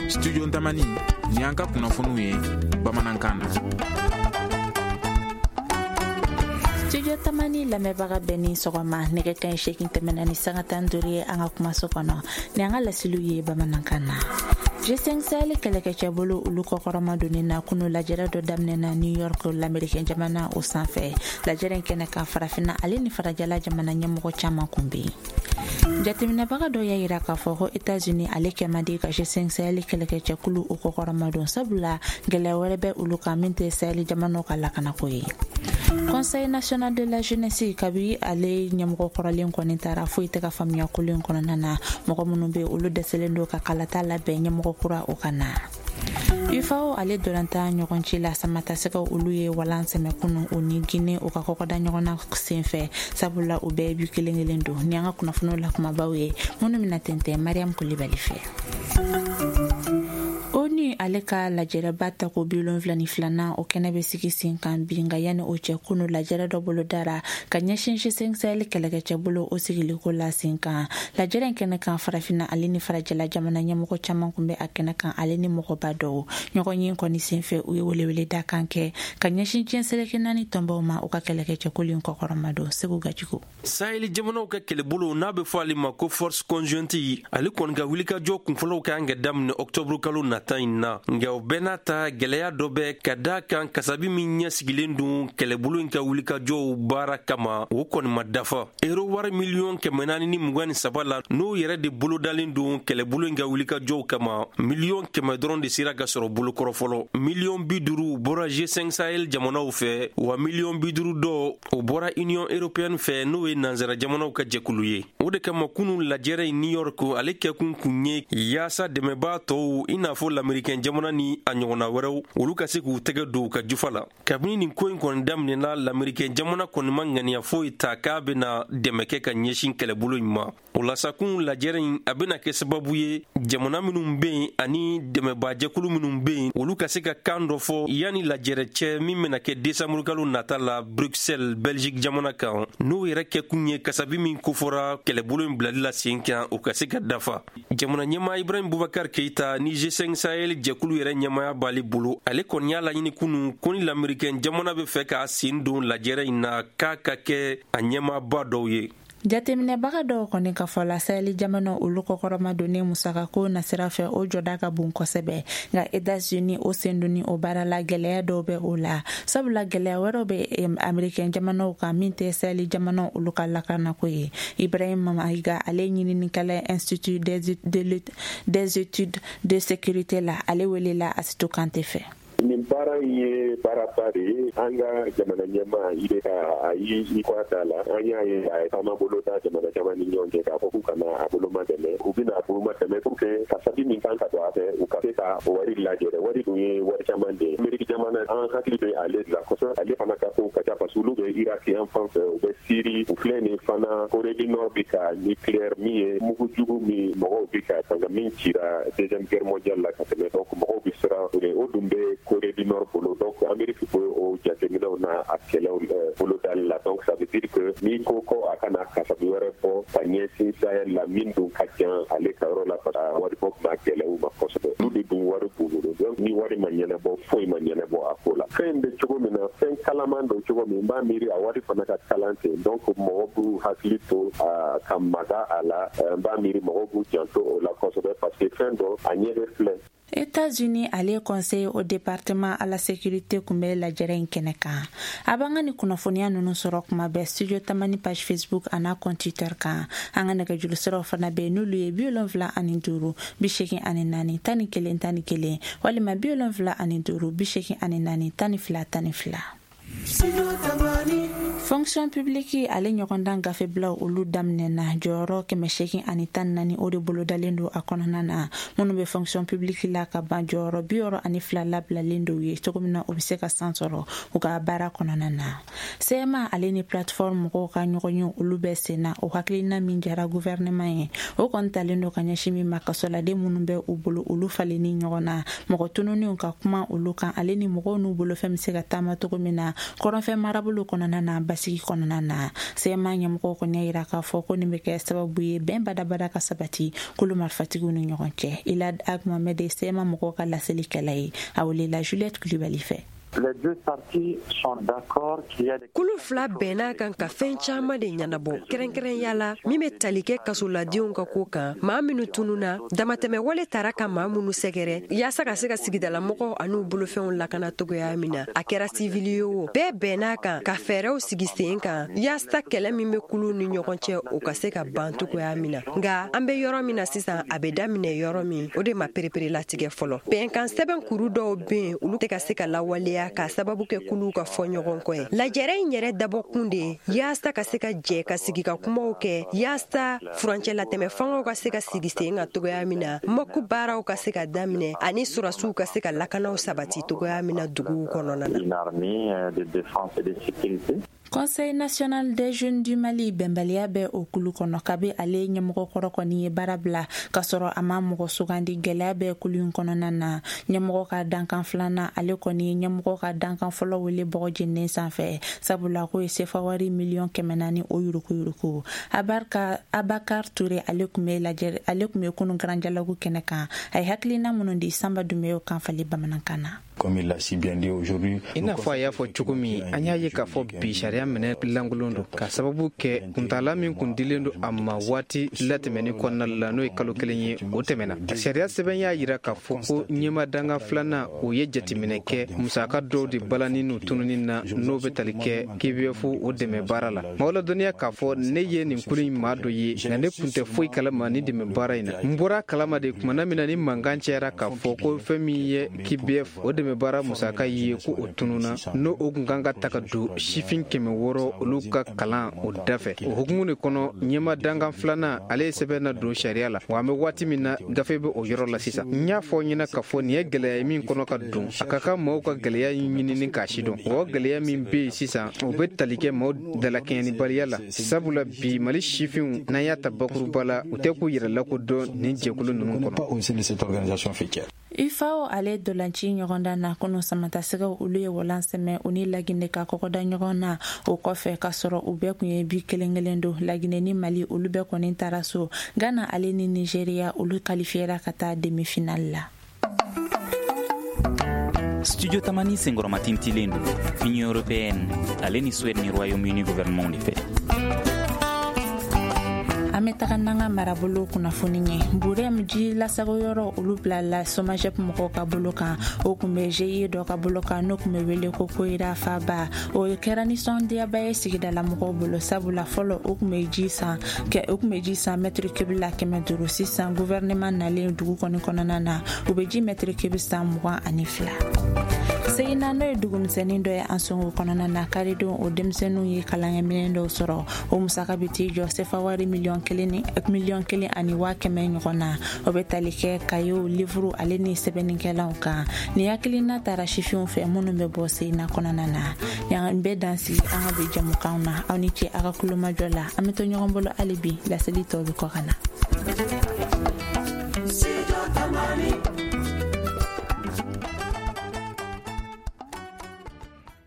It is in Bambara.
Studio Tamani, ni an ka kunnafoniw ye bamanankan na. Studio Tamani lamɛnbaga bɛɛ ni sɔgɔma. Nɛgɛ kanɲɛ 8 tɛmɛna ni sanga 15 ye an ka kumaso kɔnɔ ni an ka laseliw ye bamanankan na. G5 Sahel kɛlɛkɛcɛbolo olu kɔkɔrɔma donni na kunu lajɛrɛ dɔ daminɛna New York, lamɛrikɛn jamana o sanfɛ. Lajɛrɛ in kɛnɛ kan, farafinna ale ni farajɛla jamana ɲɛmɔgɔ caman kun bɛ yen. Jateminɛbaga dɔ y'a yira k'a fɔ ko Etats-Unis ale kɛ man di ka G5 Sahel kɛlɛkɛcɛkulu o kɔkɔrɔma don, sabula gɛlɛya wɛrɛ bɛ olu kan min tɛ Sahel jamanaw ka lakanako ye. Conseil national de la jeunesse, kabi ale ɲɛmɔgɔ kɔrɔlen kɔni taara, foyi tɛ ka faamuya kolo in kɔnɔna na. Mɔgɔ minnu bɛ olu dɛsɛlen don ka kalata labɛn ɲɛmɔgɔ kura o ka na. UFAO ale dolantan ɲɔgɔn ci la, samatasɛgɛw olu ye walan sɛmɛ kunu o ni Guinée o ka kɔkɔda ɲɔgɔn na senfɛ, sabula u bɛɛ bi kelen kelen don. Ni an ka kunnafoniw la kumabaw ye minnu bɛna tɛntɛn Mariam Kulibali fɛ. ONU ale ka lajɛrɛba tako 72nan o kɛnɛ bɛ sigi sen kan bi. Nka yanni o cɛ, kunu lajɛrɛ dɔ bolo dara ka ɲɛsin G5 Sahel kɛlɛkɛcɛbolo o sigiliko la sen kan. Lajɛrɛ in kɛnɛ kan, farafinna ale ni farajɛla jamana ɲɛmɔgɔ caman kun bɛ a kɛnɛ kan, ale ni mɔgɔba dɔw. Ɲɔgɔn ye kɔni senfɛ, u ye weleweleda kan kɛ ka ɲɛsin diɲɛ seleke naani tɔnbaw ma, u ka kɛlɛkɛcɛkulu in kɔkɔrɔma don. Segu Gajigo. Saheli jamanaw ka kɛlɛbolo n'a bɛ fɔ ale ma ko force conjointe, ale kɔni ka wulikajɔ kunfɔlɔw ka kan ka daminɛ ɔktɔburu kalo nata in na. Nka o bɛɛ n'a ta, gwɛlɛya dɔ bɛ ka da kan. Kasabi min ɲɛsigilen don kɛlɛbolo in ka wulikajɔw baara kama, o kɔni ma dafa. Ero wari miliyɔn 423 la, n'o yɛrɛ de bolodalen don kɛlɛbolo in ka wulikajɔw kama, miliyɔn 100 dɔrɔn de sera ka sɔrɔ bolokɔrɔ fɔlɔ. Miliyɔn 50 bɔra G5 Sahel jamanaw fɛ, wa miliyɔn 50 dɔ o bɔra Union européenne fɛ, n'o ye nansara jamanaw ka jɛkulu ye. O de kama, kunu lajɛrɛ in New York, ale kɛkun kun ye yaasa dɛmɛbaa tɔw, i n'a fɔ lamɛrikɛn jamana ni a ɲɔgɔnna wɛrɛw, olu ka se k'u tɛgɛ don u ka jufa la. Kabini nin ko in kɔni daminɛna, lamɛrikɛn jamana kɔni ma ŋaniya foyi ta k'a bena dɛmɛ kɛ ka ɲɛsin kɛlɛbolo in ma. O la sa, kun lajɛrɛ in a bena kɛ sababu ye, jamana minw be yen ani dɛmɛbaajɛkulu minw be yen, olu ka se ka kan dɔ fɔ yanni lajɛrɛ cɛ min bena kɛ desanburukalo nata la Bruxelles, Belgique jamana kan, n'o yɛrɛ kɛkun ye kasabi min kofɔra kɛlɛbolo in bilali la sen kan, o ka se ka dafa. Jamana ɲɛma Ibrahim Bubakar Keita ni G5 Sahel jɛkulu yɛrɛ ɲɛmaya b'ale bolo, ale kɔni y'a laɲini kunu ko ni lamɛrikɛn jamana be fɛ k'a sen don lajɛrɛ in na, k'a ka kɛ a ɲɛmaaba dɔw ye. Jateminɛbaga dɔw kɔni ka fɔ la, Saheli jamana olu kɔkɔrɔma donni musakako nasira fɛ, o jɔda ka bon kosɛbɛ. Nka Etats-Unis o sen donni o baara la, gɛlɛya dɔw bɛ o la, sabula gɛlɛya wɛrɛw bɛ Amerikɛn jamanaw kan min tɛ Saheli jamanaw olu ka lakanako ye. Ibrahim Mayiga, ale ɲininikɛla Institut des études de sécurité la, ale welela Asitu Kante fɛ. Nin baara in ye baaraba de ye. An ka jamana ɲɛmaa i bɛ ka a yi i kɔ da la, an y'a ye a ye taama bolo da jamana caman ni ɲɔgɔn cɛ k'a fɔ k'u kana a boloma dɛmɛ. U bɛna a boloma dɛmɛ pour que kasabi min kan ka don a fɛ, u ka se ka o wari lajɛ. Wari dun ye wari caman de ye. Ameriki jamana, an hakili bɛ ale de la kosɛbɛ. Ale fana ka ko ka ca, parce que olu bɛ Iraki yan fan fɛ, u bɛ Siri, u filɛ nin fana Corée du Nord bɛ ka nucléaire min ye mugu jugu min mɔgɔw bɛ ka fanga min cira Deuxième Guerre mondiale la ka tɛmɛ. Donc mɔgɔw bɛ siran o de, o dun bɛ Corée du Nord bolo. Donc Amérique bɛ o jateminɛw na a kɛlɛw bolodali la. Donc ça veut dire que n'i ko ko a kana kasabi wɛrɛ bɔ ka ɲɛsin Sahel la, min dun ka jan ale ka yɔrɔ la, parce que waribɔ ma gɛlɛ u ma kosɛbɛ. Olu de dun wari b'u bolo. Donc ni wari ma ɲɛnabɔ, foyi ma ɲɛnabɔ a ko la. Fɛn bɛ cogo min na, fɛn kalaman don cogo min, n b'a miiri a wari fana ka kalan ten. Donc mɔgɔ b'u hakili to ka maga a la. N b'a miiri mɔgɔw b'u janto o la kosɛbɛ, parce que fɛn dɔ a ɲɛ bɛ filɛ. États-Unis ale conseil au département à la sécurité kun bɛ lajɛrɛ in kɛnɛ kan. A b'an ka ni kunnafoniya ninnu sɔrɔ kuma bɛɛ Studio Tamani page Facebook an'a compte Twitter kan. An ka nɛgɛjuru siraw fana bɛ, n'olu ye 75 84 11 11 walima 75 84 12 12. Fonction publique ale ɲɔgɔndan gafebilaw olu daminɛna. Jɔyɔrɔ 814, o de bolodalen don a kɔnɔna na. Minnu bɛ fonction publique la ka ban, jɔyɔrɔ 62 labilalen don ye cogo min na u bɛ se ka san sɔrɔ u ka baara kɔnɔna na. CMA ale ni plateforme mɔgɔw ka ɲɔgɔn ye olu bɛ sen na. O hakilina min jara gouvernement ye, o kɔni talen don ka ɲɛsin min ma, kasoladen minnu bɛ u bolo, olu falenni ɲɔgɔn na, mɔgɔ tununiw ka kuma olu kan, ale ni mɔgɔw n'u bolofɛn bɛ se ka taama cogo min na kɔrɔnfɛ marabolo kɔnɔna na. Basi. basigi kɔnɔna na. CMA ɲɛmɔgɔw kɔni y'a yira k'a fɔ ko nin bɛ kɛ sababu ye bɛn badabada ka sabati kulu marifatigiw ni ɲɔgɔn cɛ. Ilad Ag Mohamed ye CMA mɔgɔw ka laselikɛla ye, a welela Juliette Kulibali fɛ. Kulu fila bɛnna kan ka fɛn caman de ɲɛnabɔ, kɛrɛnkɛrɛnya la min bɛ tali kɛ kasoladenw ka ko kan, maa minnu tununna, damatɛmɛwale tara ka maa minnu sɛgɛrɛ, yaasa ka se ka sigidalamɔgɔw an'u bolofɛnw lakana cogoya min na, a kɛra sivili ye o, bɛɛ bɛnna kan ka fɛɛrɛw sigi sen kan yaasa kɛlɛ min bɛ kuluw ni ɲɔgɔn cɛ, o ka se ka ban cogoya min na. Nka an bɛ yɔrɔ min na sisan, a bɛ daminɛ yɔrɔ min, o de ma pereperelatigɛ fɔlɔ. Bɛnkan sɛbɛn kuru dɔw bɛ yen, olu tɛ ka se ka lawaleya k'a sababu kɛ kuluw ka fɔ ɲɔgɔn kɔ ye. Lajɛrɛ in yɛrɛ dabɔkun de ye yaasa ka se ka jɛ ka sigi ka kumaw kɛ, yaasa furancɛ latɛmɛ fangaw ka se ka sigi sen kan cogoya min na, mɔku baaraw ka se ka daminɛ ani sɔrɔsiw ka se ka lakanaw sabati cogoya min na duguw kɔnɔna na. Conseil national des jeunes du Mali, bɛnbaliya bɛ o kulu kɔnɔ kabi ale ɲɛmɔgɔ kɔrɔ kɔni ye baara bila k'a sɔrɔ a ma mɔgɔ sugandi. Gɛlɛya bɛ kulu in kɔnɔna na. Ɲɛmɔgɔ ka dankan filanan, ale kɔni ye ɲɛmɔgɔ ka dankan fɔlɔ wele bɔgɔ jeninen sanfɛ, sabula k'o ye sefa wari 400 000 o yuruguyurugu. Abakar Ture, ale tun bɛ lajɛ, ale tun bɛ kunu Grand Dialogue kɛnɛ kan. A ye hakilina minnu di, Sanba Dunbiya kan fali bamanankan na. I n'a fɔ a y'a fɔ cogo min, an y'a ye k'a fɔ bi sariya minɛ lankolon don, ka sababu kɛ kuntala min kun dilen don a ma waati latɛmɛni kɔnɔna la, n'o ye kalo 1 ye, o tɛmɛna. Sariya sɛbɛn y'a yira k'a fɔ ko ɲɛma danga filanan, o ye jateminɛ kɛ musaka dɔw de balani n'u tununi na, n'o bɛ tali kɛ KBF o dɛmɛ baara la. Maaw ladɔnniya k'a fɔ ne ye nin kulu in maa dɔ ye, nka ne kun tɛ foyi kalama ni dɛmɛ baara in na. N bɔra kalama de kumana min na ni mankan cayara k'a fɔ ko fɛn min ye KBF o dɛmɛ baara musaka ye, ko o tununa, n'o o kun kan ka ta ka don sifin 600 olu ka kalan o dafɛ. O hukumu de kɔnɔ, ɲɛma dankan filanan, ale ye sɛbɛn na don sariya la. Wa an bɛ waati min na, gafe bɛ o yɔrɔ la sisan. N y'a fɔ ɲɛna k'a fɔ nin ye gɛlɛya ye min kɔnɔ ka don, a ka kan maaw ka gɛlɛya ɲinini k'a sidɔn. Wa o gɛlɛya min bɛ yen sisan, o bɛ tali kɛ maaw dalakɛɲɛnibaliya la, sabula bi Mali sifinw, n'an y'a ta bakuruba la, u tɛ k'u yɛrɛ lakodɔn nin jɛkulu ninnu kɔnɔ. UFAO ale dolanci ɲɔgɔndan na kunu, samatasɛgɛw olu ye walan sɛmɛ u ni Laginɛ ka kɔgɔda ɲɔgɔn na. O kɔfɛ k'a sɔrɔ u bɛɛ kun ye bi kelen kelen don, Laginɛ ni Mali olu bɛɛ kɔni taara so. Ghana ale ni Nigeria, olu qualifiera ka taa demi finale la. Studio Tamani senkɔrɔmatintilen don Union européenne ale ni Suède ni Royaume-Uni gouvernement de fɛ. An bɛ taga n'an ka marabolo kunnafoni ye. Burɛm ji lasagoyɔrɔ, olu bilala Somagep mɔgɔw ka bolo kan. O kun bɛ GIE dɔ ka bolo kan, n'o kun bɛ wele ko Koyira Faba. O kɛra nisɔndiyaba ye sigidala mɔgɔw bolo, sabula fɔlɔ o kun bɛ ji san o kun bɛ ji san mètre cube la 500. Sisan, gouvernement nalen dugu kɔni kɔnɔna na, u bɛ ji mètre cube san 22. Segina, n'o ye dugumisɛnnin dɔ ye an songo kɔnɔna na, karidon o denmisɛnninw ye kalankɛminɛn dɔw sɔrɔ. O musaka bɛ t'i jɔ sefa wari miliyɔn 1 ni 1,1 miliyɔn ɲɔgɔn na. O bɛ tali kɛ kayew, livuru ale ni sɛbɛnnikɛlanw kan. Nin hakilina taara sifinw fɛ minnu bɛ bɔ Segina kɔnɔna na. Yan bɛ dan sigi an ka bi jamukanw na. Aw ni ce aw ka kulomajɔ la. An bɛ to ɲɔgɔn bolo hali bi, laseli tɔw bɛ kɔ ka na.